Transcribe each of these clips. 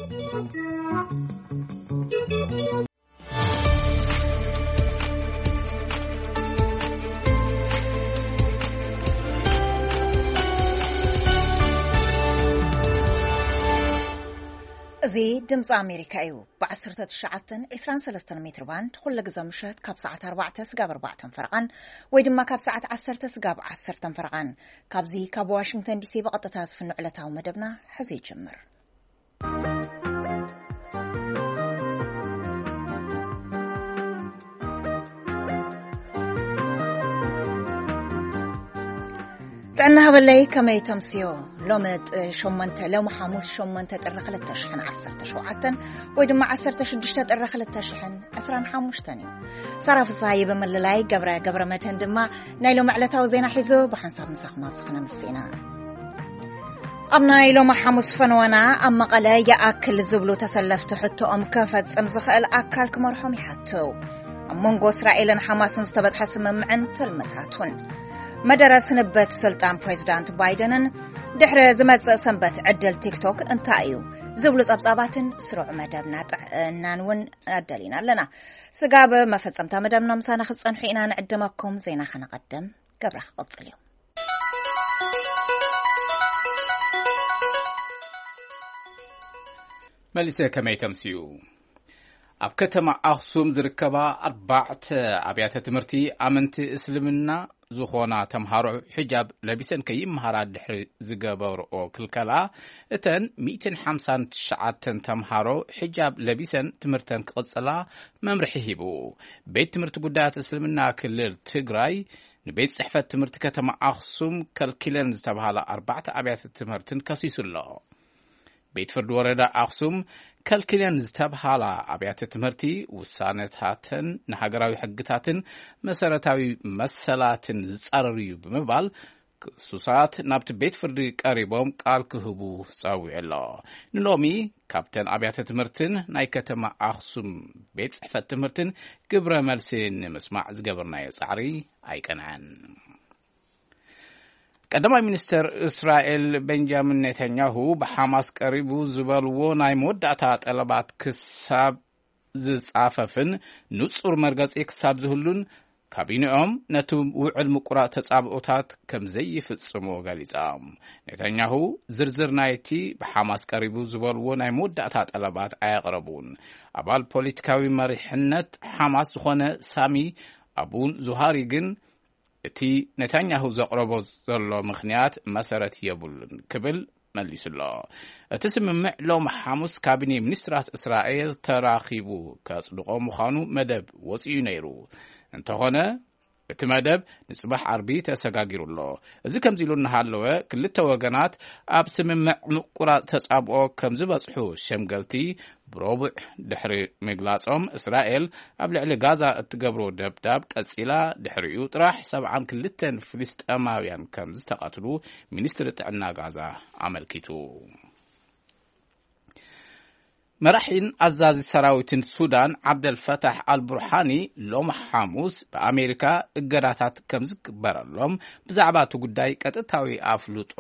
እዚ ድምፂ ኣሜሪካ እዩ። ብ19 23 ሜትር ባንድ ኩሉ ግዜ ምሸት ካብ ሰዓት ኣርባዕተ ስጋብ ኣርባዕተ ፈረቓን ወይ ድማ ካብ ሰዓት ዓሰርተ ስጋብ ዓሰርተ ፈረቓን ካብዚ ካብ ዋሽንግተን ዲሲ ብቐጥታ ዝፍኖ ዕለታዊ መደብና ሕዚ ይጅምር። ጥዕና ሃበለይ፣ ከመይ ተምስዮ? ሎሚ ጥ-፣ ሸሞንተ፣ ሎሚ ሓሙስ ሸሞንተ ጥሪ ክልተ ሽሕን ዓሰርተ ሸውዓተን ወይ ድማ ዓሰርተ ሽዱሽተ ጥሪ ክልተ ሽሕን ዕስራን ሓሙሽተን እዩ። ሳራ ፍስሃየ ብምልላይ፣ ገብረ ገብረ መድህን ድማ ናይ ሎሚ ዕለታዊ ዜና ሒዙ ብሓንሳብ ምሳኹም ኣብዚ ክነምስእ ኢና። ኣብ ናይ ሎሚ ሓሙስ ፈነወና፣ ኣብ መቐለ ይኣክል ዝብሉ ተሰለፍቲ ሕቶኦም ክፈጽም ዝኽእል ኣካል ክመርሖም ይሓቱ። ኣብ መንጎ እስራኤልን ሓማስን ዝተበጽሐ ስምምዕን ትልምታቱን። መደረ ስንበት ስልጣን ፕሬዚዳንት ባይደንን ድሕሪ ዝመጽእ ሰንበት ዕድል ቲክቶክ እንታይ እዩ ዝብሉ ጸብጻባትን ስሩዕ መደብና ጥዕናን እውን ኣዳሊና ኣለና። ስጋብ መፈጸምታ መደብና ምሳና ክትጸንሑ ኢና ንዕድመኩም። ዜና ከነቐድም፣ ገብረ ክቕጽል እዩ። መሊሰ ከመይ ተምስዩ? ኣብ ከተማ ኣኽሱም ዝርከባ ኣርባዕተ ኣብያተ ትምህርቲ ኣመንቲ እስልምና ዝኾና ተምሃሮ ሒጃብ ለቢሰን ከይመሃራ ድሕሪ ዝገበርኦ ክልከላ፣ እተን ሚእትን ሓምሳን ትሽዓተን ተምሃሮ ሒጃብ ለቢሰን ትምህርተን ክቕጽላ መምርሒ ሂቡ። ቤት ትምህርቲ ጉዳያት እስልምና ክልል ትግራይ ንቤት ጽሕፈት ትምህርቲ ከተማ ኣኽሱም ከልኪለን ዝተባሃላ ኣርባዕተ ኣብያተ ትምህርትን ከሲሱ ኣሎ። ቤት ፍርዲ ወረዳ ኣኽሱም ከልኪለን ዝተብሃላ ኣብያተ ትምህርቲ ውሳነታተን ንሃገራዊ ሕግታትን መሰረታዊ መሰላትን ዝጻረር እዩ ብምባል ክሱሳት ናብቲ ቤት ፍርዲ ቀሪቦም ቃል ክህቡ ጸዊዑ ኣሎ። ንሎሚ ካብተን ኣብያተ ትምህርትን ናይ ከተማ ኣኽሱም ቤት ጽሕፈት ትምህርትን ግብረ መልሲ ንምስማዕ ዝገበርናዮ ጻዕሪ ኣይቀንዐን። ቀዳማይ ሚኒስተር እስራኤል ቤንጃሚን ኔታንያሁ ብሓማስ ቀሪቡ ዝበልዎ ናይ መወዳእታ ጠለባት ክሳብ ዝጻፈፍን ንጹር መርገጺ ክሳብ ዝህሉን ካቢኔኦም ነቲ ውዕል ምቁራጽ ተጻብኦታት ከም ዘይፍጽሙ ገሊጾም። ኔታንያሁ ዝርዝር ናይቲ ብሓማስ ቀሪቡ ዝበልዎ ናይ መወዳእታ ጠለባት ኣየቕረቡን። ኣባል ፖለቲካዊ መሪሕነት ሓማስ ዝኾነ ሳሚ ኣቡ ዙሃሪ ግን እቲ ኔታንያሁ ዘቕረቦ ዘሎ ምኽንያት መሰረት የብሉን ክብል መሊሱ ኣሎ። እቲ ስምምዕ ሎም ሓሙስ ካቢኔ ሚኒስትራት እስራኤል ተራኺቡ ከጽድቖ ምዃኑ መደብ ወጺኡ ነይሩ። እንተኾነ እቲ መደብ ንጽባሕ ዓርቢ ተሰጋጊሩ ኣሎ። እዚ ከምዚ ኢሉ እናሃለወ ክልተ ወገናት ኣብ ስምምዕ ምቁራጽ ተጻብኦ ከም ዝበጽሑ ሸምገልቲ ብረቡዕ ድሕሪ ምግላጾም፣ እስራኤል ኣብ ልዕሊ ጋዛ እትገብሮ ደብዳብ ቀጺላ፣ ድሕሪኡ ጥራሕ ሰብዓን ክልተን ፍልስጤማውያን ከም ዝተቐትሉ ሚኒስትሪ ጥዕና ጋዛ ኣመልኪቱ። መራሒን ኣዛዚ ሰራዊትን ሱዳን ዓብደል ፈታሕ ኣልቡርሃኒ ሎም ሓሙስ ብኣሜሪካ እገዳታት ከም ዝግበረሎም ብዛዕባ እቲ ጉዳይ ቀጥታዊ ኣፍልጦ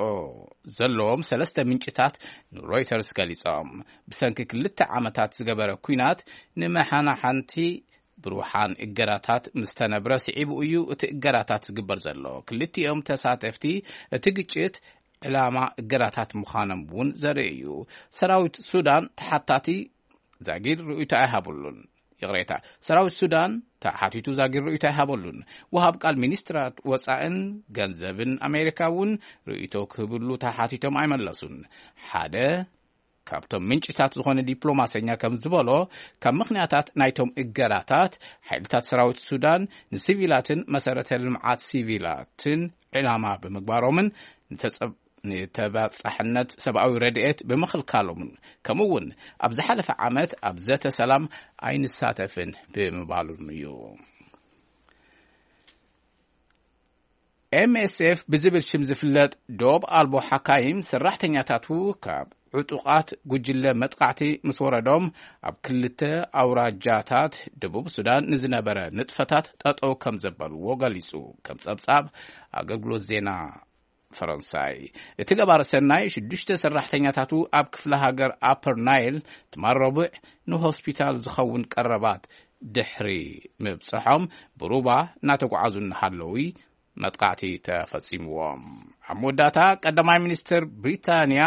ዘለዎም ሰለስተ ምንጭታት ንሮይተርስ ገሊጾም። ብሰንኪ ክልተ ዓመታት ዝገበረ ኲናት ንመሓናሓንቲ ብሩሓን እገዳታት ምስ ተነብረ ስዒቡ እዩ እቲ እገዳታት ዝግበር ዘሎ። ክልቲኦም ተሳተፍቲ እቲ ግጭት ዕላማ እገዳታት ምዃኖም እውን ዘርኢ እዩ። ሰራዊት ሱዳን ተሓታቲ ዛጊድ ርእይቶ ኣይሃበሉን። ይቕሬታ፣ ሰራዊት ሱዳን ተሓቲቱ ዛጊድ ርእይቶ ኣይሃበሉን። ወሃብ ቃል ሚኒስትራት ወጻእን ገንዘብን ኣሜሪካ እውን ርእይቶ ክህብሉ ተሓቲቶም ኣይመለሱን። ሓደ ካብቶም ምንጭታት ዝኾነ ዲፕሎማሰኛ ከም ዝበሎ፣ ካብ ምኽንያታት ናይቶም እገዳታት፣ ሓይልታት ሰራዊት ሱዳን ንሲቪላትን መሰረተ ልምዓት ሲቪላትን ዕላማ ብምግባሮምን ንተጸብ-፣ ንተባጻሕነት ሰብኣዊ ረድኤት ብምኽልካሎምን፣ ከምኡ እውን ኣብ ዝሓለፈ ዓመት ኣብ ዘተ ሰላም ኣይንሳተፍን ብምባሉን እዩ። ኤምኤስኤፍ ብዝብል ሽም ዝፍለጥ ዶብ ኣልቦ ሓካይም፣ ሰራሕተኛታቱ ካብ ዕጡቓት ጉጅለ መጥቃዕቲ ምስ ወረዶም፣ ኣብ ክልተ ኣውራጃታት ደቡብ ሱዳን ንዝነበረ ንጥፈታት ጠጠው ከም ዘበልዎ ገሊጹ። ከም ጸብጻብ ኣገልግሎት ዜና ፈረንሳይ። እቲ ገባር ሰናይ ሽዱሽተ ሰራሕተኛታቱ ኣብ ክፍለ ሃገር ኣፐር ናይል ትማል ረቡዕ ንሆስፒታል ዝኸውን ቀረባት ድሕሪ ምብጽሖም ብሩባ እናተጓዓዙ እናሃለዉ መጥቃዕቲ ተፈጺምዎም። ኣብ መወዳእታ ቀዳማይ ሚኒስትር ብሪታንያ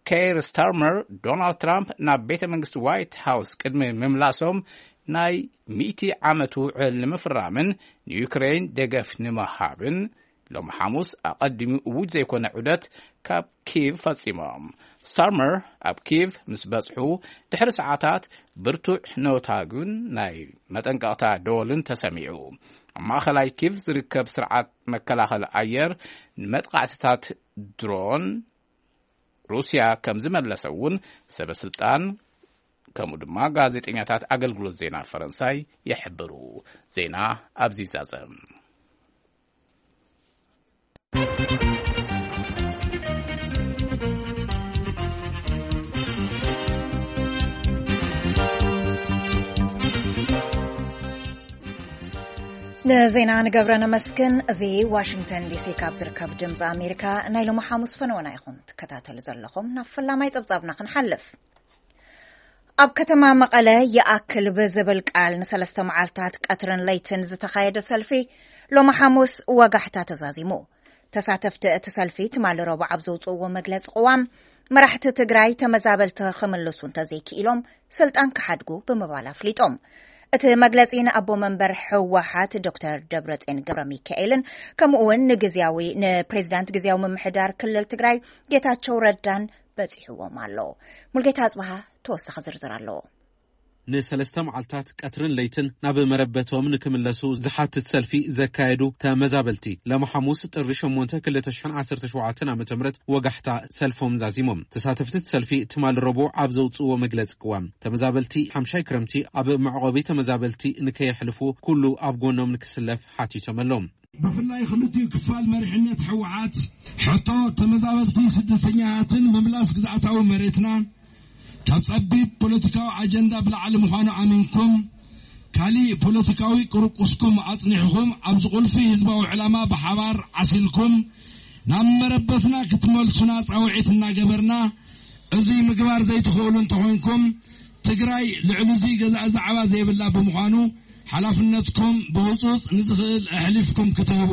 ኬር ስታርመር ዶናልድ ትራምፕ ናብ ቤተ መንግስቲ ዋይት ሃውስ ቅድሚ ምምላሶም ናይ ሚእቲ ዓመት ውዕል ንምፍራምን ንዩክሬን ደገፍ ንምሃብን ሎም ሓሙስ ኣቐዲሙ እውጅ ዘይኮነ ዑደት ካብ ኪቭ ፈጺሞም። ስታርመር ኣብ ኪቭ ምስ በጽሑ ድሕሪ ሰዓታት ብርቱዕ ነውታግን ናይ መጠንቀቕታ ደወልን ተሰሚዑ። ኣብ ማእኸላይ ኪቭ ዝርከብ ስርዓት መከላኸሊ ኣየር ንመጥቃዕትታት ድሮን ሩስያ ከም ዝመለሰ እውን ሰበ ስልጣን ከምኡ ድማ ጋዜጠኛታት ኣገልግሎት ዜና ፈረንሳይ ይሕብሩ። ዜና ኣብዚ ይዛዘም። ንዜና ንገብረ ነመስግን። እዚ ዋሽንግተን ዲሲ ካብ ዝርከብ ድምፂ ኣሜሪካ ናይ ሎሚ ሓሙስ ፈነወና ኢኹም ትከታተሉ ዘለኹም። ናብ ፈላማይ ፀብፃብና ክንሓልፍ። ኣብ ከተማ መቐለ ይኣክል ብዝብል ቃል ንሰለስተ መዓልታት ቀትርን ለይትን ዝተኻየደ ሰልፊ ሎሚ ሓሙስ ወጋሕታ ተዛዚሙ። ተሳተፍቲ እቲ ሰልፊ ትማሊ ረቡዕ ኣብ ዘውፅእዎ መግለፂ ቅዋም፣ መራሕቲ ትግራይ ተመዛበልቲ ክምልሱ እንተዘይክኢሎም ስልጣን ክሓድጉ ብምባል ኣፍሊጦም። እቲ መግለፂ ንኣቦ መንበር ህወሓት ዶክተር ደብረፅዮን ገብረ ሚካኤልን ከምኡ እውን ንግዝያዊ ንፕሬዚዳንት ግዝያዊ ምምሕዳር ክልል ትግራይ ጌታቸው ረዳን በፂሕዎም ኣሎ። ሙልጌታ ኣፅበሃ ተወሳኺ ዝርዝር ኣለዎ። ንሰለስተ መዓልታት ቀትርን ለይትን ናብ መረበቶም ንክምለሱ ዝሓትት ሰልፊ ዘካየዱ ተመዛበልቲ፣ ሎሚ ሓሙስ ጥሪ ሸሞንተ ክልተ ሽሕን ዓሰርተ ሸውዓተን ዓመተ ምህረት ወጋሕታ ሰልፎም ዛዚሞም። ተሳተፍቲ እቲ ሰልፊ ትማሊ ረቡዕ ኣብ ዘውፅእዎ መግለፂ ቅዋም፣ ተመዛበልቲ ሓምሻይ ክረምቲ ኣብ መዕቆቢ ተመዛበልቲ ንከየሕልፉ ኩሉ ኣብ ጎኖም ንክስለፍ ሓቲቶም ኣለዉ። ብፍላይ ክልቲኡ ክፋል መሪሕነት ህወሓት ሕቶ ተመዛበልቲ ስደተኛታትን ምምላስ ግዝኣታዊ መሬትና ካብ ጸቢብ ፖለቲካዊ ኣጀንዳ ብላዕሊ ምዃኑ ኣሚንኩም፣ ካሊእ ፖለቲካዊ ቅርቁስኩም ኣጽኒሕኹም ኣብዚ ቁልፊ ህዝባዊ ዕላማ ብሓባር ዓሲልኩም ናብ መረበትና ክትመልሱና ጻውዒት እናገበርና፣ እዚ ምግባር ዘይትኽእሉ እንተኾይንኩም፣ ትግራይ ልዕሊ እዚ ገዛእ ዛዕባ ዘይብላ ብምዃኑ፣ ሓላፍነትኩም ብህጹጽ ንዝኽእል ኣሕሊፍኩም ክትህቡ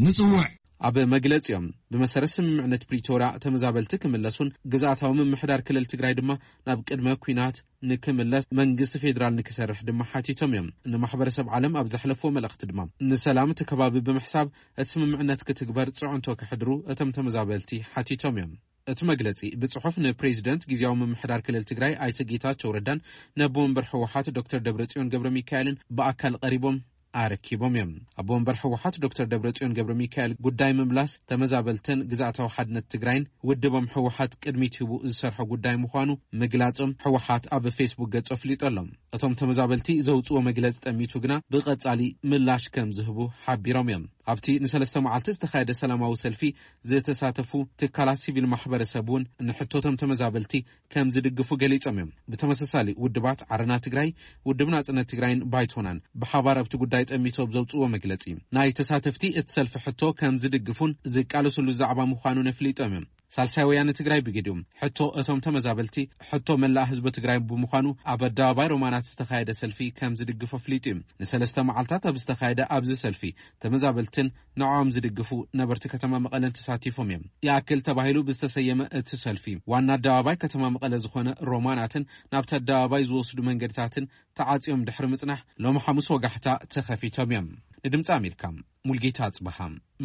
ንጽውዕ። ኣብ መግለጺኦም፣ ብመሰረት ስምምዕነት ፕሪቶርያ ተመዛበልቲ ክምለሱን ግዝኣታዊ ምምሕዳር ክልል ትግራይ ድማ ናብ ቅድመ ኲናት ንክምለስ መንግስቲ ፌዴራል ንክሰርሕ ድማ ሓቲቶም እዮም። ንማሕበረሰብ ዓለም ኣብ ዘሕለፍዎ መልእኽቲ ድማ፣ ንሰላም እቲ ከባቢ ብምሕሳብ እቲ ስምምዕነት ክትግበር ጽዕንቶ ከሕድሩ እቶም ተመዛበልቲ ሓቲቶም እዮም። እቲ መግለጺ ብጽሑፍ ንፕሬዚደንት ግዝያዊ ምምሕዳር ክልል ትግራይ ኣይተ ጌታቸው ረዳን ነቦ መንበር ህወሓት ዶክተር ደብረጽዮን ገብረ ሚካኤልን ብኣካል ቀሪቦም ኣረኪቦም እዮም። ኣቦ መንበር ህወሓት ዶክተር ደብረጽዮን ገብረ ሚካኤል፣ ጉዳይ ምምላስ ተመዛበልትን ግዝኣታዊ ሓድነት ትግራይን ውድቦም ህወሓት ቅድሚት ሂቡ ዝሰርሖ ጉዳይ ምዃኑ ምግላጾም ህወሓት ኣብ ፌስቡክ ገጹ ኣፍሊጡ ኣሎ። እቶም ተመዛበልቲ ዘውጽዎ መግለጺ ጠሚቱ ግና ብቐጻሊ ምላሽ ከም ዝህቡ ሓቢሮም እዮም። ኣብቲ ንሰለስተ መዓልቲ ዝተኻየደ ሰላማዊ ሰልፊ ዝተሳተፉ ትካላት ሲቪል ማሕበረሰብ እውን ንሕቶቶም ተመዛበልቲ ከም ዝድግፉ ገሊጾም እዮም። ብተመሳሳሊ ውድባት ዓረና ትግራይ፣ ውድብ ናጽነት ትግራይን ባይቶናን ብሓባር ኣብቲ ጉዳይ ጠሚቶም ዘውጽእዎ መግለጺ፣ ናይ ተሳተፍቲ እቲ ሰልፊ ሕቶ ከም ዝድግፉን ዝቃለስሉ ዛዕባ ምዃኑን ኣፍሊጦም እዮም። ሳልሳይ ወያነ ትግራይ ብግዲኡ፣ ሕቶ እቶም ተመዛበልቲ ሕቶ መላእ ህዝቢ ትግራይ ብምዃኑ ኣብ ኣደባባይ ሮማናት ዝተኻየደ ሰልፊ ከም ዝድግፎ ኣፍሊጡ እዩ። ንሰለስተ መዓልታት ኣብ ዝተኻየደ ኣብዚ ሰልፊ ተመዛበልትን ንዕኦም ዝድግፉ ነበርቲ ከተማ መቐለን ተሳቲፎም እዮም። ይኣክል ተባሂሉ ብዝተሰየመ እቲ ሰልፊ፣ ዋና ኣደባባይ ከተማ መቐለ ዝኾነ ሮማናትን ናብቲ ኣደባባይ ዝወስዱ መንገድታትን ተዓጽዮም ድሕሪ ምጽናሕ፣ ሎሚ ሓሙስ ወጋሕታ ተኸፊቶም እዮም። ንድምጺ ኣሜሪካ፣ ሙልጌታ ኣጽበሃ፣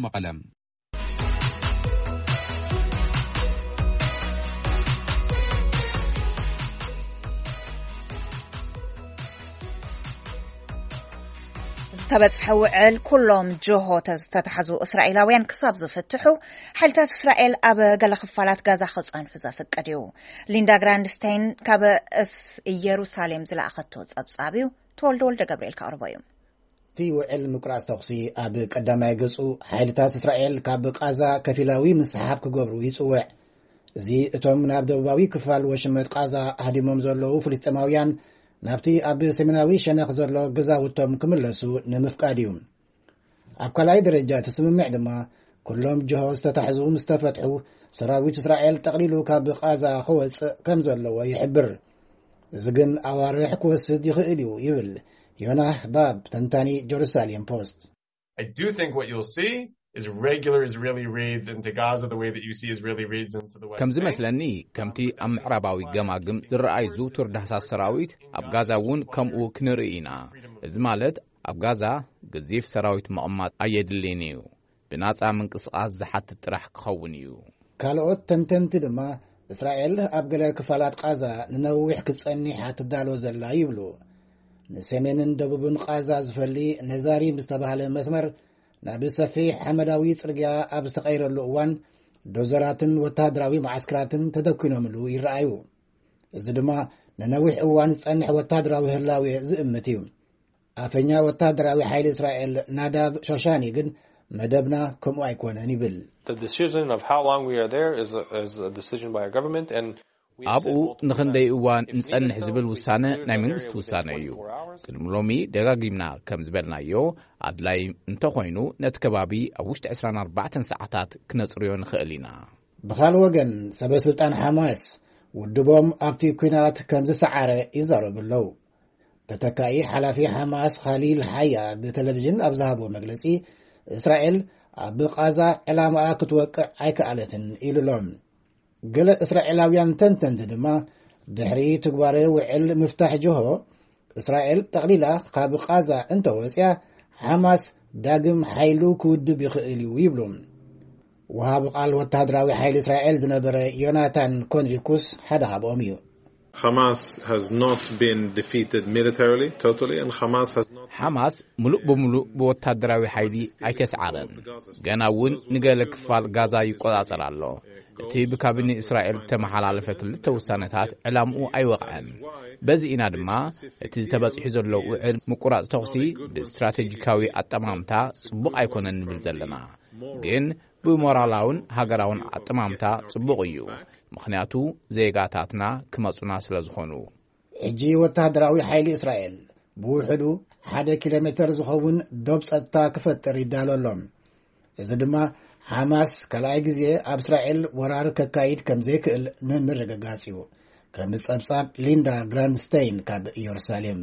መቐለ። ዝተበጽሐ ውዕል፣ ኩሎም ጆሆ ዝተታሕዙ እስራኤላውያን ክሳብ ዝፍትሑ፣ ሓይልታት እስራኤል ኣብ ገለ ክፋላት ጋዛ ክጸንሑ ዘፍቅድ እዩ። ሊንዳ ግራንድስታይን ካብ እስ ኢየሩሳሌም ዝለኣኸቶ ጸብጻብ እዩ። ተወልደ ወልደ ገብርኤል ከቕርቦ እዩ። እቲ ውዕል ምቁራጽ ተኹሲ ኣብ ቀዳማይ ገጹ፣ ሓይልታት እስራኤል ካብ ቃዛ ከፊላዊ ምስሓብ ክገብሩ ይጽውዕ። እዚ እቶም ናብ ደቡባዊ ክፋል ወሽመጥ ቃዛ ሃዲሞም ዘለዉ ፍልስጤማውያን ናብቲ ኣብ ሰሜናዊ ሸነኽ ዘሎ ገዛውቶም ክምለሱ ንምፍቃድ እዩ። ኣብ ካልኣይ ደረጃ እቲ ስምምዕ ድማ፣ ኩሎም ጅሆ ዝተታሕዙ ምስ ተፈትሑ፣ ሰራዊት እስራኤል ጠቕሊሉ ካብ ቓዛ ክወጽእ ከም ዘለዎ ይሕብር። እዚ ግን ኣዋርሕ ክወስድ ይኽእል እዩ ይብል ዮናህ ባብ፣ ተንታኒ ጀሩሳሌም ፖስት። I do think what you'll see is regular Israeli raids into Gaza, the way that you see Israeli raids into the West ከም Bank. ዝመስለኒ፣ ከምቲ ኣብ ምዕራባዊ ገማግም ዝረኣይ ዝውቱር ዳህሳስ ሰራዊት፣ ኣብ ጋዛ እውን ከምኡ ክንርኢ ኢና። እዚ ማለት፣ ኣብ ጋዛ ገዚፍ ሰራዊት ምቕማጥ ኣየድልይን እዩ። ብናጻ ምንቅስቓስ ዝሓትት ጥራሕ ክኸውን እዩ። ካልኦት ተንተንቲ ድማ፣ እስራኤል ኣብ ገለ ክፋላት ቓዛ ንነዊሕ ክትጸኒሕ ትዳሎ ዘላ ይብሉ። ንሰሜንን ደቡብን ቓዛ ዝፈሊ ነዛሪም ዝተባህለ መስመር፣ ናብ ሰፊሕ ሓመዳዊ ጽርግያ ኣብ ዝተቐይረሉ እዋን፣ ዶዘራትን ወተሃደራዊ መዓስከራትን ተደኲኖምሉ ይረኣዩ። እዚ ድማ ንነዊሕ እዋን ዝጸንሕ ወተሃደራዊ ህላዌ ዝእምት እዩ። ኣፈኛ ወተሃደራዊ ሓይሊ እስራኤል ናዳብ ሾሻኒ ግን፣ መደብና ከምኡ ኣይኮነን ይብል። The decision of how long we are there is a, is a decision by a government, and we've said ኣብኡ multiple ንኽንደይ times, እዋን if needed, ንጸንሕ so ዝብል we ውሳነ can ናይ clear መንግስቲ it within ውሳነ እዩ። twenty-four hours. ቅድሚ ሎሚ ደጋጊምና ከም ዝበልናዮ፣ ኣድላይ እንተኾይኑ፣ ነቲ ከባቢ ኣብ ውሽጢ ዕስራን ኣርባዕተን ሰዓታት ክነጽርዮ ንኽእል ኢና። ብኻልእ ወገን፣ ሰበ ስልጣን ሓማስ፣ ውድቦም ኣብቲ ኲናት ከም ዝሰዓረ ይዛረቡ ኣለዉ። ተተካኢ ሓላፊ ሓማስ ኻሊል ሓያ ብቴሌቪዥን ኣብ ዝሃቦ መግለጺ፣ እስራኤል ኣብ ቓዛ ዕላማኣ ክትወቅዕ ኣይከኣለትን ኢሉ ኣሎ። ገለ እስራኤላውያን ተንተንቲ ድማ፣ ድሕሪ ትግባረ ውዕል ምፍታሕ ጅሆ፣ እስራኤል ጠቕሊላ ካብ ቓዛ እንተወጽያ፣ ሓማስ ዳግም ሓይሉ ክውድብ ይኽእል እዩ ይብሉ። ወሃቢ ቃል ወተሃደራዊ ሓይሊ እስራኤል ዝነበረ ዮናታን ኮንሪኩስ ሓደ ካብኦም እዩ። Hamas has not been defeated militarily, totally, and Hamas has not ሓማስ ምሉእ ብምሉእ ብወታደራዊ ሓይሊ ኣይተስዓረን። ገና እውን ንገለ ክፋል ጋዛ ይቆጻጸር ኣሎ። እቲ ብካቢኔ እስራኤል ዝተመሓላለፈ ክልተ ውሳነታት ዕላምኡ ኣይወቕዐን። በዚ ኢና ድማ እቲ ተበጺሑ ዘሎ ውዕል ምቁራጽ ተኹሲ ብስትራቴጂካዊ ኣጠማምታ ጽቡቕ ኣይኮነን ንብል ዘለና። ግን ብሞራላውን ሃገራውን ኣጠማምታ ጽቡቕ እዩ። ምኽንያቱ ዜጋታትና ክመጹና ስለ ዝኾኑ። ሕጂ ወተሃደራዊ ሓይሊ እስራኤል ብውሕዱ ሓደ ኪሎ ሜተር ዝኸውን ዶብ ጸጥታ ክፈጥር ይዳሎ ኣሎ። እዚ ድማ ሓማስ ካልኣይ ግዜ ኣብ እስራኤል ወራር ከካይድ ከም ዘይክእል ንምርግጋጽ እዩ። ከም ጸብጻብ ሊንዳ ግራንድስተይን ካብ ኢየሩሳሌም።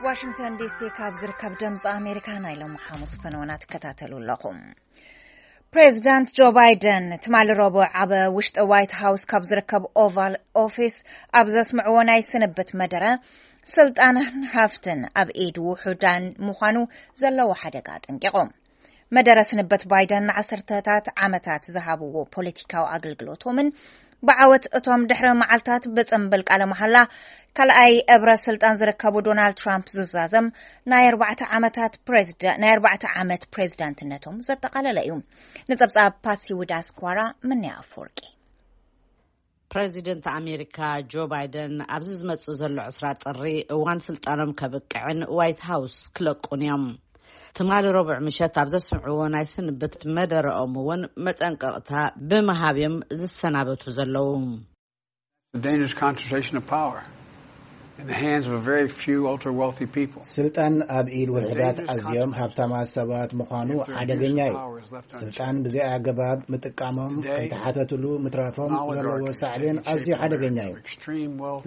ዋሽንግተን ዲሲ ካብ ዝርከብ ድምፂ ኣሜሪካ ናይ ሎሚ ሓሙስ ፈነወና ትከታተሉ ኣለኹም። ፕሬዚዳንት ጆ ባይደን ትማሊ ረቡዕ ኣብ ውሽጢ ዋይት ሃውስ ካብ ዝርከብ ኦቫል ኦፊስ ኣብ ዘስምዕዎ ናይ ስንብት መደረ፣ ስልጣንን ሃፍትን ኣብ ኢድ ውሑዳን ምዃኑ ዘለዎ ሓደጋ ኣጠንቂቖም። መደረ ስንበት ባይደን ንዓሰርተታት ዓመታት ዝሃብዎ ፖለቲካዊ ኣገልግሎቶምን ብዓወት እቶም ድሕሪ መዓልታት ብጽምብል ቃለ መሓላ ካልኣይ እብረ ስልጣን ዝርከቡ ዶናልድ ትራምፕ ዝዛዘም ናይ ኣርባዕተ ዓመታት ፕሬዝዳ-፣ ናይ ኣርባዕተ ዓመት ፕሬዝዳንትነቶም ዘጠቓለለ እዩ። ንጸብጻብ ፓሲ ውዳስኳራ ምንያ ኣፈወርቂ። ፕረዚደንት ኣሜሪካ ጆ ባይደን ኣብዚ ዝመጽእ ዘሎ ዕስራ ጥሪ እዋን ስልጣኖም ከብቅዕን ዋይት ሃውስ ክለቁን እዮም። ትማሊ ረቡዕ ምሸት ኣብ ዘስምዕዎ ናይ ስንብት መደረኦም እውን መጠንቀቕታ ብምሃብ እዮም ዝሰናበቱ ዘለዉ። The dangerous concentration of power in the hands of a very few ultra wealthy people. ስልጣን ኣብ ኢድ ውሑዳት ኣዝዮም ሃብታማት ሰባት ምዃኑ ሓደገኛ እዩ። ስልጣን ብዘይ ኣገባብ ምጥቃሞም ከይተሓተትሉ ምትራፎም ዘለዎ ሳዕቤን ኣዝዩ ሓደገኛ እዩ።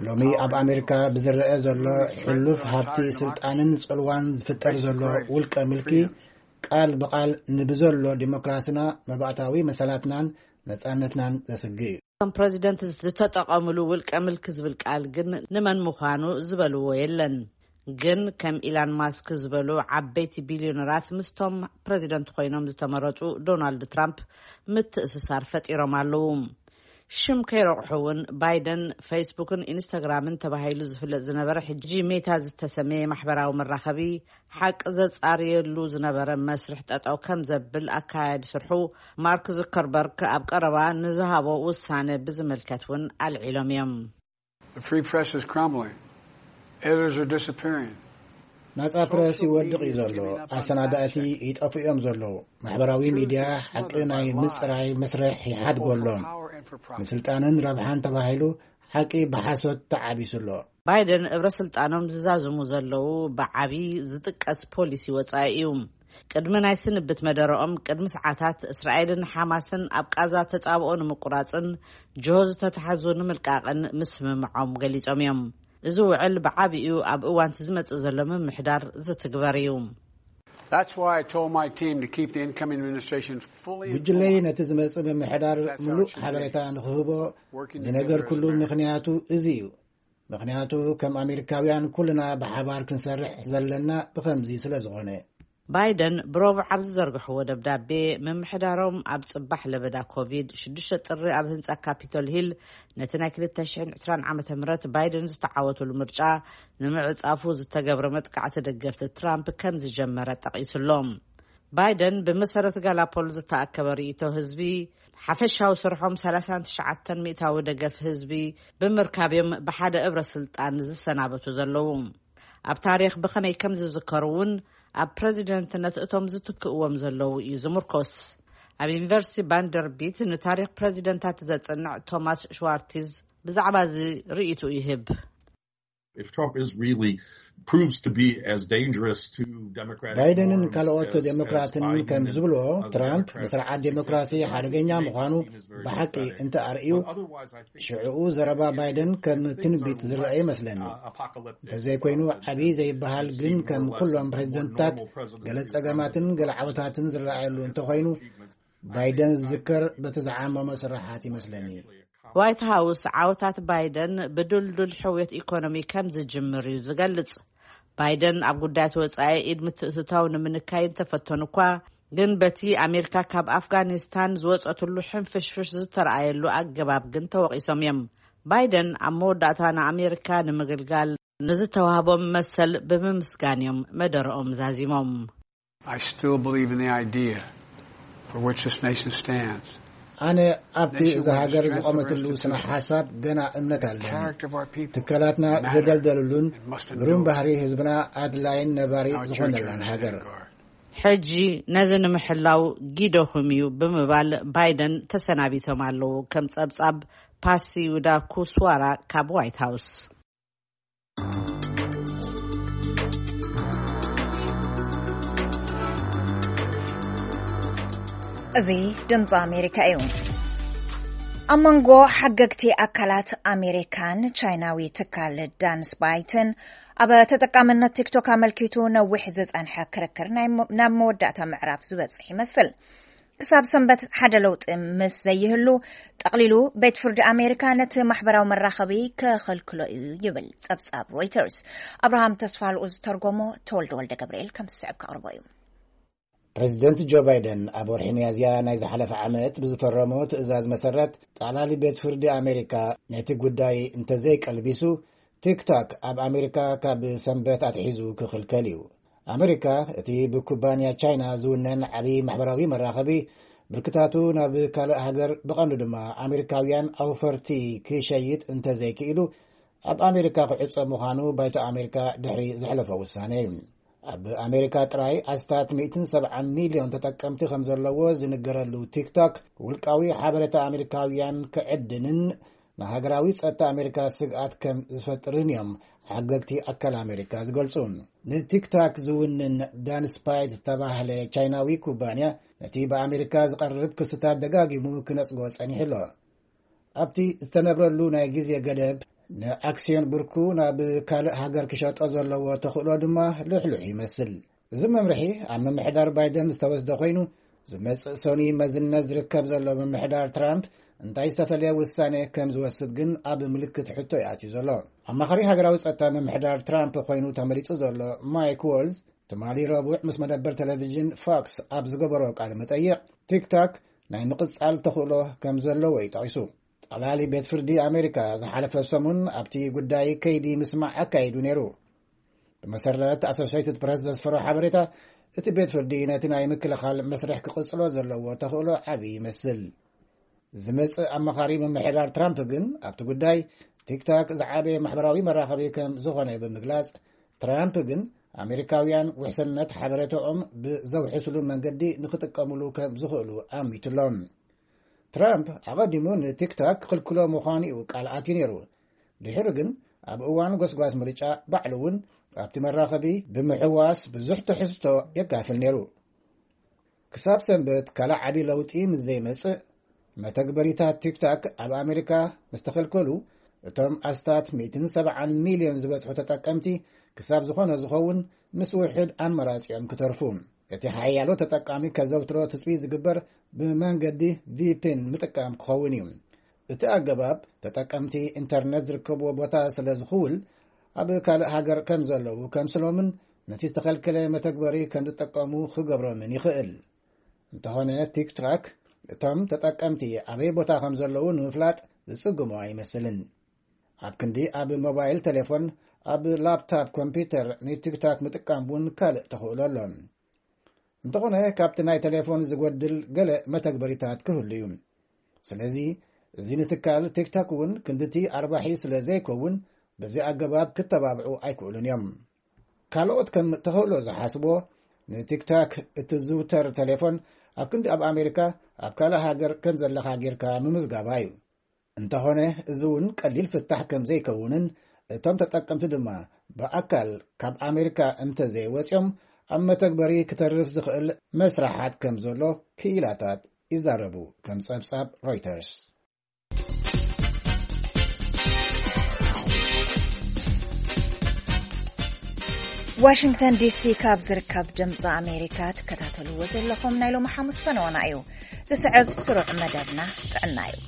ሎሚ ኣብ ኣሜሪካ ብዝረአ ዘሎ ሕሉፍ ሃብቲ ስልጣንን ጽልዋን ዝፍጠር ዘሎ ውልቀ ምልኪ ቃል ብቃል ንብዘሎ ዲሞክራስና፣ መባእታዊ መሰላትናን ነጻነትናን ዘስግእ እዩ። እቶም ፕረዚደንት ዝተጠቐምሉ ውልቀ ምልኪ ዝብል ቃል ግን ንመን ምዃኑ ዝበልዎ የለን። ግን ከም ኢላን ማስክ ዝበሉ ዓበይቲ ቢልዮነራት ምስቶም ፕረዚደንት ኮይኖም ዝተመረጹ ዶናልድ ትራምፕ ምትእስሳር ፈጢሮም ኣለዉ። ሽም ከይረቑሑ እውን ባይደን ፌስቡክን ኢንስታግራምን ተባሂሉ ዝፍለጥ ዝነበረ ሕጂ ሜታ ዝተሰመየ ማሕበራዊ መራኸቢ ሓቂ ዘጻርየሉ ዝነበረ መስርሕ ጠጠው ከም ዘብል ኣካያዲ ስርሑ ማርክ ዙከርበርግ ኣብ ቀረባ ንዝሃቦ ውሳነ ብዝምልከት እውን ኣልዒሎም እዮም። The free press is crumbling. Editors are disappearing. ናጻ ፕረስ ይወድቕ እዩ ዘሎ። ኣሰናዳእቲ ይጠፍኡ እዮም ዘለዉ። ማሕበራዊ ሚድያ ሓቂ ናይ ምጽራይ መስርሕ ይሓድጎ ኣሎ። ንስልጣንን ረብሓን ተባሂሉ ሓቂ ብሓሶት ተዓቢሱ ኣሎ። ባይደን እብረ ስልጣኖም ዝዛዝሙ ዘለዉ ብዓቢ ዝጥቀስ ፖሊሲ ወጻኢ እዩ። ቅድሚ ናይ ስንብት መደረኦም ቅድሚ ሰዓታት እስራኤልን ሓማስን ኣብ ቃዛ ተጻብኦ ንምቁራጽን ጅሆ ዝተታሕዙ ንምልቃቕን ምስምምዖም ገሊጾም እዮም። እዚ ውዕል ብዓቢኡ ኣብ እዋንቲ ዝመጽእ ዘሎ ምምሕዳር ዝትግበር እዩ። That's why I told my team to keep the incoming administration fully ጉጅለይ informed. ነቲ ዝመጽእ ምምሕዳር That's how it ምሉእ should be. ሓበሬታ ንክህቦ Working together as a ምሉእ package. ምኽንያቱ እዚ እዩ። ምኽንያቱ ከም ኣሜሪካውያን ኩልና ብሓባር ክንሰርሕ ዘለና ብኸምዚ ስለ ዝኾነ። ባይደን ብረቡዕ ኣብ ዝዘርግሕዎ ደብዳቤ ምምሕዳሮም ኣብ ጽባሕ ለበዳ ኮቪድ ሽዱሽተ ጥሪ ኣብ ህንጻ ካፒቶል ሂል ነቲ ናይ ክልተ ሽሕን ዕስራን ዓመተ ምህረት ባይደን ዝተዓወቱሉ ምርጫ ንምዕጻፉ ዝተገብረ መጥቃዕቲ ደገፍቲ ትራምፕ ከም ዝጀመረ ጠቒሱሎም። ባይደን ብመሰረት ጋላፖል ዝተኣከበ ርእይቶ ህዝቢ ሓፈሻዊ ስርሖም ሰላሳን ትሽዓተን ሚእታዊ ደገፍ ህዝቢ ብምርካብ እዮም ብሓደ እብረ ስልጣን ዝሰናበቱ ዘለዉ። ኣብ ታሪኽ ብኸመይ ከም ዝዝከሩ እውን ኣብ ፕረዚደንትነት እቶም ዝትክእዎም ዘለዉ እዩ ዝምርኮስ። ኣብ ዩኒቨርሲቲ ቫንደርቢት ንታሪኽ ፕረዚደንታት ዘጽንዕ ቶማስ ሽዋርቲዝ ብዛዕባ እዚ ርእይቱ ይህብ። If Trump is really proves to be as dangerous to Democratic ባይደንን norms ካልኦት as- as ዴሞክራትን Biden ከም and ዝብልዎ other ትራምፕ Democrats ንስርዓት seem to ዴሞክራሲ think, ሓደገኛ he may be ምዃኑ seen as very ብሓቂ threatening. እንተ ኣርእዩ But otherwise, I think ሽዕኡ ዘረባ ባይደን ከም ትንቢት ዝረአ ይመስለኒ። uh, apocalyptic. እንተዘይኮይኑ ዓብዪ ዘይበሃል ግን ከም ኩሎም ፕሬዚደንትታት ገለ ጸገማትን ገለ ዓወታትን ዝረኣየሉ እንተኾይኑ ባይደን ዝዝከር በቲ ዝዓመሞ ስራሓት ይመስለኒ። ዋይት ሃውስ ዓወታት ባይደን ብድልዱል ሕውየት ኢኮኖሚ ከም ዝጅምር እዩ ዝገልጽ። ባይደን ኣብ ጉዳያት ወጻኢ ኢድ ምትእትታው ንምንካይ እንተፈተኑ እኳ ግን በቲ ኣሜሪካ ካብ ኣፍጋኒስታን ዝወጸትሉ ሕንፍሽፍሽ ዝተረኣየሉ ኣገባብ ግን ተወቒሶም እዮም። ባይደን ኣብ መወዳእታ ንኣሜሪካ ንምግልጋል ንዝተዋህቦም መሰል ብምምስጋን እዮም መደረኦም ዛዚሞም። I still believe in the idea for which this nation stands. ኣነ ኣብቲ እዛ ሃገር ዝቖመትሉ ስነ ሓሳብ ገና እምነት ኣለኒ። ትካላትና ዘደልደሉሉን ግሩም ባህሪ ህዝብና ኣድላይን ነባሪ ዝኾነላን ሃገር። ሕጂ ነዚ ንምሕላው ጊደኹም እዩ ብምባል ባይደን ተሰናቢቶም ኣለዉ። ከም ጸብጻብ ፓሲ ውዳ ኩስዋራ ካብ ዋይት ሃውስ። እዚ ድምፂ ኣሜሪካ እዩ። ኣብ መንጎ ሓገግቲ ኣካላት ኣሜሪካን ቻይናዊ ትካል ዳንስ ባይትን ኣብ ተጠቃምነት ቲክቶክ ኣመልኪቱ ነዊሕ ዝፀንሐ ክርክር ናብ መወዳእታ ምዕራፍ ዝበፅሕ ይመስል። ክሳብ ሰንበት ሓደ ለውጢ ምስ ዘይህሉ ጠቕሊሉ ቤት ፍርዲ ኣሜሪካ ነቲ ማሕበራዊ መራኸቢ ክኽልክሎ እዩ ይብል ጸብጻብ ሮይተርስ። ኣብርሃም ተስፋልኡ ዝተርጎሞ ተወልደ ወልደ ገብርኤል ከም ዝስዕብ ከቕርቦ እዩ። ፕሬዚደንት ጆ ባይደን ኣብ ወርሒ ሚያዝያ ናይ ዝሓለፈ ዓመት ብዝፈረሞ ትእዛዝ መሰረት ጠቕላሊ ቤት ፍርዲ ኣሜሪካ ነቲ ጉዳይ እንተዘይቀልቢሱ ቲክቶክ ኣብ ኣሜሪካ ካብ ሰንበት ኣትሒዙ ክኽልከል እዩ። ኣሜሪካ እቲ ብኩባንያ ቻይና ዝውነን ዓብዪ ማሕበራዊ መራኸቢ ብርክታቱ ናብ ካልእ ሃገር ብቐንዱ ድማ ኣሜሪካውያን ኣውፈርቲ ክሸይጥ እንተዘይክኢሉ ኣብ ኣሜሪካ ክዕጾ ምዃኑ ባይቶ ኣሜሪካ ድሕሪ ዘሕለፎ ውሳነ እዩ። ኣብ ኣሜሪካ ጥራይ ኣስታት ሚእትን ሰብዓን ሚልዮን ተጠቀምቲ ከም ዘለዎ ዝንገረሉ ቲክቶክ ውልቃዊ ሓበሬታ ኣሜሪካውያን ክዕድንን ንሃገራዊ ጸጥታ ኣሜሪካ ስግኣት ከም ዝፈጥርን እዮም ሓገግቲ ኣካል ኣሜሪካ ዝገልጹ። ንቲክቶክ ዝውንን ዳንስፓይት ዝተባህለ ቻይናዊ ኩባንያ ነቲ ብኣሜሪካ ዝቐርብ ክስታት ደጋጊሙ ክነጽጎ ጸኒሑ ኣሎ። ኣብቲ ዝተነብረሉ ናይ ግዜ ገደብ ንኣክስዮን ብርኩ ናብ ካልእ ሃገር ክሸጦ ዘለዎ ተኽእሎ ድማ ልሕሉሕ ይመስል። እዚ መምርሒ ኣብ ምምሕዳር ባይደን ዝተወስደ ኮይኑ ዝመጽእ ሰኒ መዝነት ዝርከብ ዘሎ ምምሕዳር ትራምፕ እንታይ ዝተፈለየ ውሳኔ ከም ዝወስድ ግን ኣብ ምልክት ሕቶ ይኣትዩ ዘሎ። ኣማኻሪ ሃገራዊ ጸጥታ ምምሕዳር ትራምፕ ኮይኑ ተመሪጹ ዘሎ ማይክ ዎልዝ ትማሊ ረቡዕ ምስ መደበር ቴሌቪዥን ፎክስ ኣብ ዝገበሮ ቃለ መጠይቕ ቲክቶክ ናይ ምቕጻል ተኽእሎ ከም ዘለዎ እዩ ጠቒሱ። ጠቕላሊ ቤት ፍርዲ ኣሜሪካ ዝሓለፈ ሰሙን ኣብቲ ጉዳይ ከይዲ ምስማዕ ኣካይዱ ነይሩ። ብመሰረት ኣሶሴይትድ ፕረስ ዘስፈሮ ሓበሬታ እቲ ቤት ፍርዲ ነቲ ናይ ምክልኻል መስርሕ ክቕጽሎ ዘለዎ ተኽእሎ ዓቢ ይመስል። ዝመጽእ ኣማኻሪ ምምሕዳር ትራምፕ ግን ኣብቲ ጉዳይ ቲክቶክ ዝዓበየ ማሕበራዊ መራኸቢ ከም ዝኾነ ብምግላጽ ትራምፕ ግን ኣሜሪካውያን ውሕስነት ሓበሬታኦም ብዘውሕስሉ መንገዲ ንኽጥቀምሉ ከም ዝኽእሉ ኣሚቱሎም። ትራምፕ ኣቐዲሙ ንቲክቶክ ክኽልክሎ ምዃኑ እዩ ቃል ኣትዩ ነይሩ። ድሕሪ ግን ኣብ እዋን ጎስጓስ ምርጫ ባዕሉ እውን ኣብቲ መራኸቢ ብምሕዋስ ብዙሕ ትሕዝቶ የካፍል ነይሩ። ክሳብ ሰንበት ካልእ ዓቢ ለውጢ ምስ ዘይመጽእ፣ መተግበሪታት ቲክቶክ ኣብ ኣሜሪካ ምስ ተኸልከሉ፣ እቶም ኣስታት ሚእትን ሰብዓን ሚልዮን ዝበጽሑ ተጠቀምቲ ክሳብ ዝኾነ ዝኸውን ምስ ውሕድ ኣመራጺኦም ክተርፉ። እቲ ሓያሎ ተጠቃሚ ከዘውትሮ ትጽቢት ዝግበር ብመንገዲ ቪፒን ምጥቃም ክኸውን እዩ። እቲ ኣገባብ ተጠቀምቲ ኢንተርነት ዝርከብዎ ቦታ ስለ ዝኽውል፣ ኣብ ካልእ ሃገር ከም ዘለዉ ከምስሎምን ነቲ ዝተኸልከለ መተግበሪ ከም ዝጥቀሙ ክገብሮምን ይኽእል። እንተኾነ ቲክቶክ እቶም ተጠቀምቲ ኣበይ ቦታ ከም ዘለዉ ንምፍላጥ ዝጽግሞ ኣይመስልን። ኣብ ክንዲ ኣብ ሞባይል ቴሌፎን፣ ኣብ ላፕቶፕ ኮምፒውተር ንቲክቶክ ምጥቃም እውን ካልእ ተኽእሎ ኣሎ። እንተኾነ ካብቲ ናይ ቴሌፎን ዝጎድል ገለ መተግበሪታት ክህሉ እዩ። ስለዚ እዚ ንትካል ቲክቶክ እውን ክንድቲ ኣርባሒ ስለ ዘይከውን በዚ ኣገባብ ክተባብዑ ኣይክእሉን እዮም። ካልኦት ከም ተኽእሎ ዝሓስቦ ንቲክቶክ እትዝውተር ቴሌፎን ኣብ ክንዲ ኣብ ኣሜሪካ ኣብ ካልእ ሃገር ከም ዘለኻ ጌርካ ምምዝጋባ እዩ። እንተኾነ እዚ እውን ቀሊል ፍታሕ ከም ዘይከውንን እቶም ተጠቀምቲ ድማ ብኣካል ካብ ኣሜሪካ እንተዘይወፅዮም ኣብ መተግበሪ ክተርፍ ዝኽእል መስራሓት ከም ዘሎ ክኢላታት ይዛረቡ፣ ከም ጸብጻብ ሮይተርስ። ዋሽንግተን ዲሲ ካብ ዝርከብ ድምፂ ኣሜሪካ ትከታተልዎ ዘለኹም ናይ ሎሚ ሓሙስ ፈነወና እዩ። ዝስዕብ ስሩዕ መደብና ጥዕና እዩ።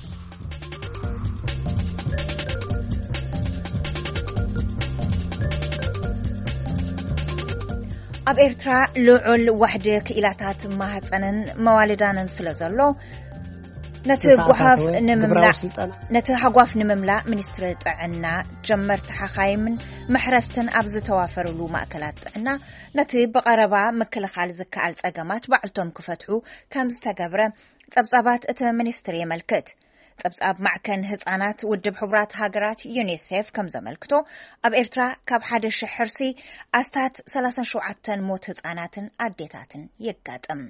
ኣብ ኤርትራ ልዑል ዋሕዲ ክኢላታት ማህፀንን መዋልዳንን ስለ ዘሎ ነቲ ጓሓፍ ንምምላእ ነቲ ሃጓፍ ንምምላእ ሚኒስትሪ ጥዕና፣ ጀመርቲ ሓኻይምን መሕረስትን ኣብ ዝተዋፈሩሉ ማእከላት ጥዕና ነቲ ብቐረባ ምክልኻል ዝከኣል ጸገማት ባዕልቶም ክፈትሑ ከም ዝተገብረ ጸብጻባት እቲ ሚኒስትሪ የመልክት። ጸብጻብ ማዕከን ህጻናት ውድብ ሕቡራት ሃገራት ዩኒሴፍ ከም ዘመልክቶ፣ ኣብ ኤርትራ ካብ ሓደ ሽሕ ሕርሲ ኣስታት ሰላሳን ሸውዓተን ሞት ህጻናትን ኣዴታትን የጋጥም።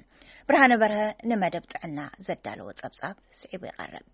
ብርሃነ በርሀ ንመደብ ጥዕና ዘዳለወ ጸብጻብ ስዒቡ ይቐርብ።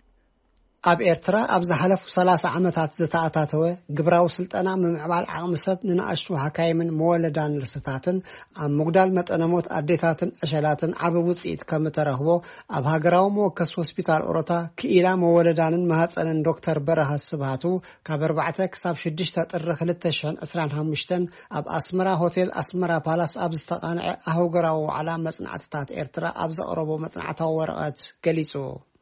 ኣብ ኤርትራ ኣብ ዝሓለፉ ሰላሳ ዓመታት ዝተኣታተወ ግብራዊ ስልጠና ምምዕባል ዓቕሚ ሰብ ንንኣሽቱ ሓካይምን መወለዳን ርስታትን ኣብ ምጉዳል መጠነ ሞት ኣዴታትን ዕሸላትን ዓቢ ውጽኢት ከም እተረኽቦ ኣብ ሃገራዊ መወከሲ ሆስፒታል ኦሮታ ክኢላ መወለዳንን ማህጸንን ዶክተር በረኸት ስብሃቱ ካብ ኣርባዕተ ክሳብ ሽዱሽተ ጥሪ ክልተ ሽሕን ዕስራን ሓሙሽተን ኣብ ኣስመራ ሆቴል ኣስመራ ፓላስ ኣብ ዝተቓንዐ ኣህጉራዊ ዋዕላ መጽናዕትታት ኤርትራ ኣብ ዘቕረቦ መጽናዕታዊ ወረቐት ገሊጹ።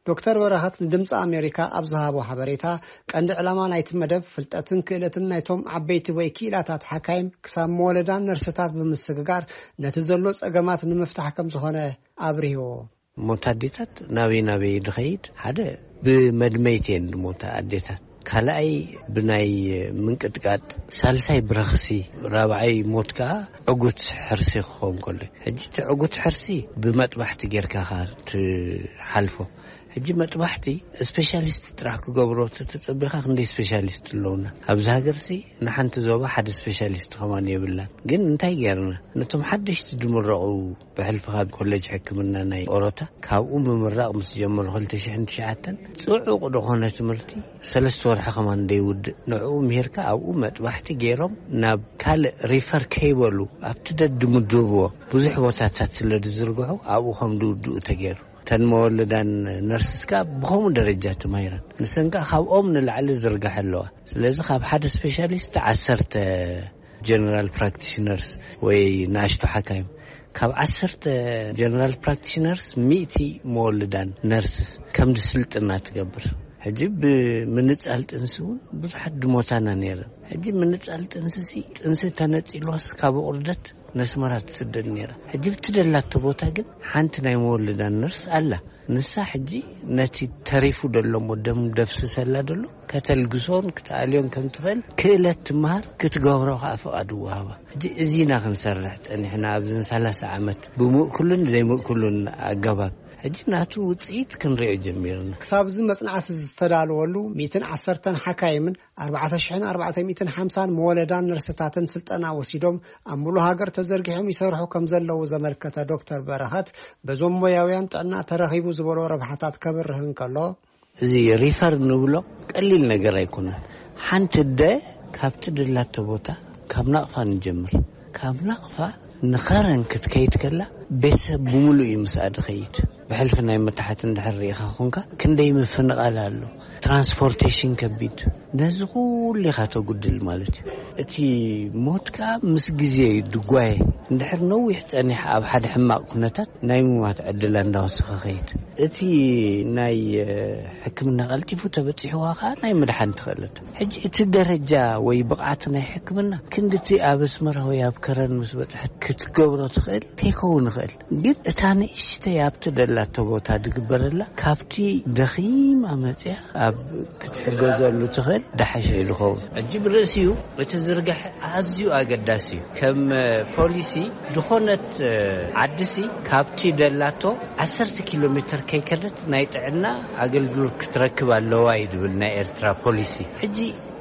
ዶክተር በረኸት ንድምፂ ኣሜሪካ ኣብ ዝሃቦ ሓበሬታ፣ ቀንዲ ዕላማ ናይቲ መደብ ፍልጠትን ክእለትን ናይቶም ዓበይቲ ወይ ክኢላታት ሓካይም ክሳብ መወለዳን ነርስታት ብምስግጋር ነቲ ዘሎ ጸገማት ንምፍታሕ ከም ዝኾነ ኣብሪህዎ። ሞት ኣዴታት ናበይ ናበይ ድኸይድ፣ ሓደ ብመድመይቲ እየን ድሞታ ኣዴታት፣ ካልኣይ ብናይ ምንቅጥቃጥ፣ ሳልሳይ ብረኽሲ፣ ራብዓይ ሞት ከኣ ዕጉት ሕርሲ ክኸውን ከሎ። ሕጂ እቲ ዕጉት ሕርሲ ብመጥባሕቲ ጌርካ ኢኻ ትሓልፎ። ሕጂ መጥባሕቲ ስፔሻሊስት ጥራሕ ክገብሮ ተተጸቢኻ ክንደይ ስፔሻሊስት ኣለውና ኣብዚ ሃገርሲ? ንሓንቲ ዞባ ሓደ ስፔሻሊስት ከማን የብላን። ግን እንታይ ጌርና? ነቶም ሓደሽቲ ድምረቑ ብሕልፊ ካብ ኮሌጅ ሕክምና ናይ ኦሮታ ካብኡ ምምራቕ ምስ ጀመሩ ክልተ ሽሕን ትሽዓተን ጽዑቕ ዝኾነ ትምህርቲ ሰለስተ ወርሒ ከማን ደይውድእ ንዕኡ ምሂርካ ኣብኡ መጥባሕቲ ገይሮም ናብ ካልእ ሪፈር ከይበሉ ኣብቲ ደድምድብዎ ብዙሕ ቦታታት ስለ ዝዝርግሑ ኣብኡ ከም ድውድኡ ተገይሩ። እተን መወለዳን ነርስስ ከኣ ብኸምኡ ደረጃ ተማሂረን። ንሰን ከኣ ካብኦም ንላዕሊ ዝርጋሐ ኣለዋ። ስለዚ ካብ ሓደ ስፔሻሊስት ዓሰርተ ጀነራል ፕራክቲሽነርስ ወይ ንኣሽቱ ሓካይም፣ ካብ ዓሰርተ ጀነራል ፕራክቲሽነርስ ሚእቲ መወልዳን ነርስስ ከም ድስልጥና ትገብር። ሕጂ ብምንጻል ጥንሲ እውን ብዙሓት ድሞታና ነይረን። ሕጂ ምንጻል ጥንሲ ሲ ጥንሲ ተነጺልዋስ ካብ ቁርደት ነስመራ ትስደድ ነይራ። ሕጂ ብቲ ደላቶ ቦታ ግን ሓንቲ ናይ መወልዳን ነርስ ኣላ። ንሳ ሕጂ ነቲ ተሪፉ ደሎ እሞ ደም ደፍስሰላ ደሎ ከተልግሶን ክትኣልዮን ከም ትኽእል ክእለት ትመሃር ክትገብሮ ከኣ ፍቓድ ወሃባ። ሕጂ እዚና ክንሰርሕ ጸኒሕና ኣብዘን ሰላሳ ዓመት ብምእኩልን ዘይምእኩልን ኣገባብ። ሕጂ ናቱ ውጽኢት ክንሪኦ ጀሚርና። ክሳብ እዚ መጽናዕቲ ዝተዳለወሉ ሚእትን ዓሰርተን ሓካይምን ኣርባዕተ ሽሕን ኣርባዕተ ሚእትን ሓምሳን መወለዳን ነርስታትን ስልጠና ወሲዶም ኣብ ሙሉ ሃገር ተዘርጊሖም ይሰርሑ ከም ዘለዉ ዘመልከተ ዶክተር በረኸት፣ በዞም ሞያውያን ጥዕና ተረኺቡ ዝበሎ ረብሓታት ከብርህ እንከሎ፣ እዚ ሪፈር ንብሎ ቀሊል ነገር ኣይኮነን። ሓንቲ ኣደ ካብቲ ደላቶ ቦታ፣ ካብ ናቕፋ ንጀምር። ካብ ናቕፋ ንኸረን ክትከይድ ከላ፣ ቤተሰብ ብምሉእ እዩ ምስኣ ድኸይድ። ብሕልፊ ናይ መታሓት እንድሕር ርኢኻ ኾንካ፣ ክንደይ ምፍንቓል ኣሎ፣ ትራንስፖርቴሽን ከቢድ፣ ነዚ ኩሉ ኢኻ ተጉድል ማለት እዩ። እቲ ሞት ከኣ ምስ ግዜ እዩ ድጓየ። እንድሕር ነዊሕ ጸኒሕ ኣብ ሓደ ሕማቕ ኩነታት፣ ናይ ምማት ዕድላ እንዳወሰኸ ኸይድ። እቲ ናይ ሕክምና ቀልጢፉ ተበጺሕዋ ከኣ ናይ ምድሓን ትኽእለት። ሕጂ እቲ ደረጃ ወይ ብቕዓት ናይ ሕክምና ክንድቲ ኣብ ኣስመራ ወይ ኣብ ከረን ምስ በጽሐት ክትገብሮ ትኽእል ከይከውን ይኽእል። ግን እታ ንእሽተይ ኣብቲ ደላቶ ቦታ ድግበረላ፣ ካብቲ ደኺማ መጽያ ኣብ ክትሕገዘሉ ትኽእል ዳሓሸ እዩ ዝኸውን። ሕጂ ብርእሲኡ እቲ ዝርጋሐ ኣዝዩ ኣገዳሲ እዩ። ከም ፖሊሲ፣ ዝኾነት ዓድሲ ካብቲ ደላቶ ዓሰርተ ኪሎ ሜትር ከይከደት ናይ ጥዕና ኣገልግሎት ክትረክብ ኣለዋ እዩ ዝብል ናይ ኤርትራ ፖሊሲ። ሕጂ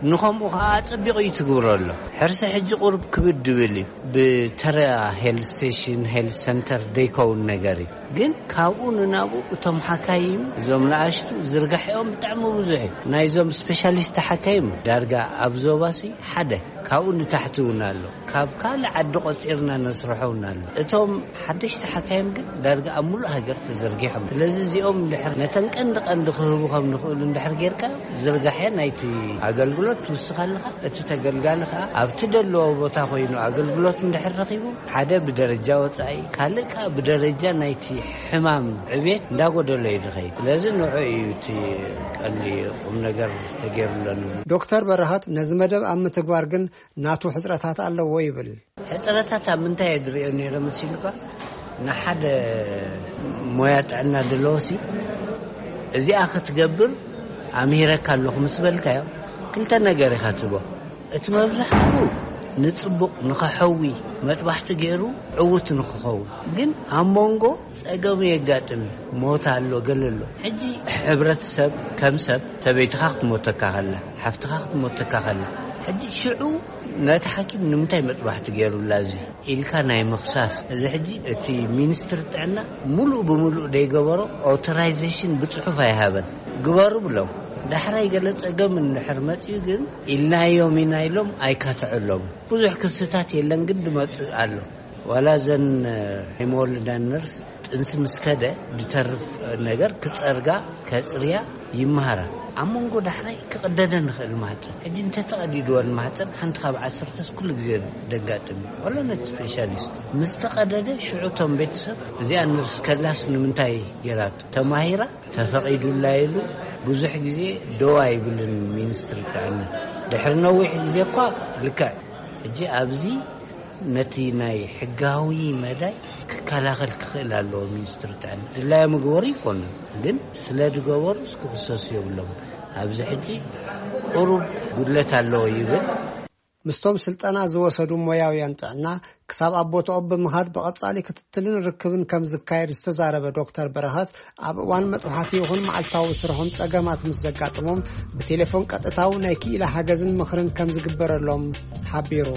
ንኸምኡ ኸዓ ኣጸቢቑ እዩ ትግብሮ ኣሎ። ሕርሲ ሕጂ ቁሩብ ክብድ ድብል እዩ። ብተራ ሄልት ስቴሽን፣ ሄልት ሰንተር ደይከውን ነገር እዩ። ግን ካብኡ ንናብኡ እቶም ሓካይም፣ እዞም ንኣሽቱ ዝርጋሕኦም ብጣዕሚ ብዙሕ እዩ። ናይዞም ስፔሻሊስት ሓካይም ዳርጋ ኣብ ዞባሲ ሓደ፣ ካብኡ ንታሕቲ እውን ኣሎ። ካብ ካልእ ዓዲ ቆጺርና ነስርሖ እውን ኣሎ። እቶም ሓደሽቲ ሓካይም ግን ዳርጋ ኣብ ሙሉእ ሃገር ተዘርጊሖም። ስለዚ እዚኦም እንድሕር ነተን ቀንዲ ቀንዲ ክህቡ ከም ንኽእሉ እንድሕር ጌርካ፣ ዝርጋሐ ናይቲ ኣገልግሎት ትውስኽ ኣለኻ። እቲ ተገልጋሊ ከኣ ኣብቲ ደለዎ ቦታ ኮይኑ ኣገልግሎት እንድሕር ረኺቡ፣ ሓደ ብደረጃ ወጻኢ፣ ካልእ ከኣ ብደረጃ ናይቲ ሕማም ዕቤት እንዳጎደሎ እዩ ዝኸይድ። ስለዚ ንዑ እዩ እቲ ቀንዲ ቁም ነገር ተገይሩሎ ንብል። ዶክተር በረኸት ነዚ መደብ ኣብ ምትግባር ግን ናቱ ሕጽረታት ኣለዎ ይብል። ሕጽረታት ኣብ ምንታይ እየ ዝርእዮ ነይረ መሲሉካ? ንሓደ ሞያ ጥዕና ዘለዎሲ እዚኣ ክትገብር ኣምሂረካ ኣለኹ ምስ በልካዮ፣ ክልተ ነገር ኢኻ ትቦ። እቲ መብዛሕትኡ ንጽቡቕ ንኸሐዊ መጥባሕቲ ገይሩ ዕዉት ንኽኸውን። ግን ኣብ መንጎ ጸገም የጋጥም እዩ። ሞት ኣሎ፣ ገለ ኣሎ። ሕጂ ሕብረተሰብ ከም ሰብ፣ ሰበይትኻ ክትሞተካ ከላ፣ ሓፍትኻ ክትሞተካ ከላ፣ ሕጂ ሽዑ ነቲ ሓኪም ንምንታይ መጥባሕቲ ገይሩላ እዚ ኢልካ ናይ ምኽሳስ። እዚ ሕጂ እቲ ሚኒስትሪ ጥዕና ሙሉእ ብምሉእ ደይገበሮ፣ ኦቶራይዜሽን ብጽሑፍ ኣይሃበን። ግበሩ ብሎም። ዳሕራይ ገለ ጸገም እንድሕር መጺኡ ግን ኢልናዮም ኢና ኢሎም ኣይካትዐሎም። ብዙሕ ክስታት የለን ግን ድመጽእ ኣሎ። ዋላ እዘን ናይ መወልዳ ነርስ ጥንሲ ምስ ከደ ድተርፍ ነገር ክጸርጋ፣ ከጽርያ ይመሃራ። ኣብ መንጎ ዳሕራይ ክቕደደ ንኽእል ማህጸን። ሕጂ እንተተቐዲድወን ማህጸን ሓንቲ ካብ ዓሰርተስ ኩሉ ግዜ ደጋጥም እዩ። ዋላ ነቲ ስፔሻሊስት ምስ ተቐደደ ሽዑ እቶም ቤተሰብ እዚኣ ነርስ ከላስ ንምንታይ ገይራቶ? ተማሂራ ተፈቒዱላ ኢሉ ብዙሕ ግዜ ደው ኣይብልን ሚኒስትሪ ጥዕና። ድሕሪ ነዊሕ ግዜ እኳ ልክዕ ሕጂ ኣብዚ ነቲ ናይ ሕጋዊ መዳይ ክከላኸል ክኽእል ኣለዎ ሚኒስትሪ ጥዕና። ድላዮ ምግበሩ ይኮኑ፣ ግን ስለ ዝገበሩ ክኽሰሱ የብሎም። ኣብዚ ሕጂ ቁሩብ ጉድለት ኣለዎ ይብል። ምስቶም ስልጠና ዝወሰዱ ሞያውያን ጥዕና ክሳብ ኣብ ቦታኦም ብምኻድ ብቐጻሊ ክትትልን ርክብን ከም ዝካየድ ዝተዛረበ ዶክተር በረኸት፣ ኣብ እዋን መጥባሕቲ ይኹን መዓልታዊ ስርሖም ጸገማት ምስ ዘጋጥሞም ብቴሌፎን ቀጥታዊ ናይ ክኢላ ሓገዝን ምኽርን ከም ዝግበረሎም ሓቢሩ።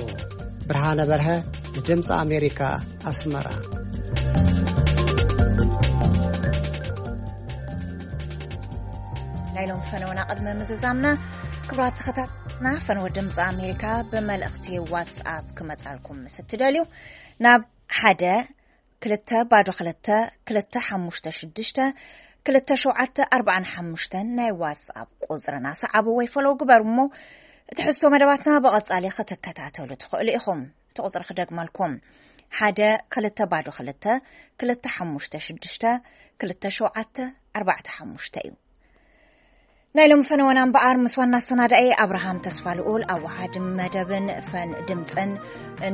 ብርሃነ በርሀ ንድምፂ ኣሜሪካ ኣስመራ። ናይ ሎም ፈነወና ቅድሚ ምዝዛምና፣ ክቡራት ተኸታተልና፣ ፈነወ ድምፂ ኣሜሪካ ብመልእኽቲ ዋትስኣፕ ክመጻልኩም ምስ እትደልዩ፣ ናብ ሓደ ክልተ ባዶ ክልተ ክልተ ሓሙሽተ ሽዱሽተ ክልተ ሸውዓተ ኣርባዓን ሓሙሽተን ናይ ዋትስኣፕ ቁጽርና ሰዓቡ ወይ ፎሎው ግበሩ እሞ፣ ትሕዝቶ መደባትና ብቐጻሊ ክትከታተሉ ትኽእሉ ኢኹም። እቲ ቁጽሪ ክደግመልኩም፣ ሓደ ክልተ ባዶ ክልተ ክልተ ሓሙሽተ ሽዱሽተ ክልተ ሸውዓተ ኣርባዕተ ሓሙሽተ እዩ። ናይ ሎም ፈነወና እምበኣር ምስ ዋና ኣሰናዳኢ ኣብርሃም ተስፋ ልኡል፣ ኣወሃድ መደብን ፈን ድምፅን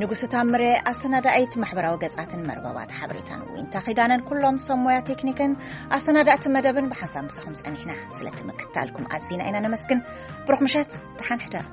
ንጉስ ታምሬ፣ ኣሰናዳኢት ማሕበራዊ ገጻትን መርበባት ሓበሬታን ዊንታ ኪዳነን፣ ኩሎም ሰብ ሞያ ቴክኒክን ኣሰናዳእቲ መደብን ብሓንሳብ ምሳኹም ጸኒሕና። ስለቲ ምክትታልኩም ኣዚና ኢና ነመስግን። ብሩኽ ምሸት፣ ደሓን ሕደሩ።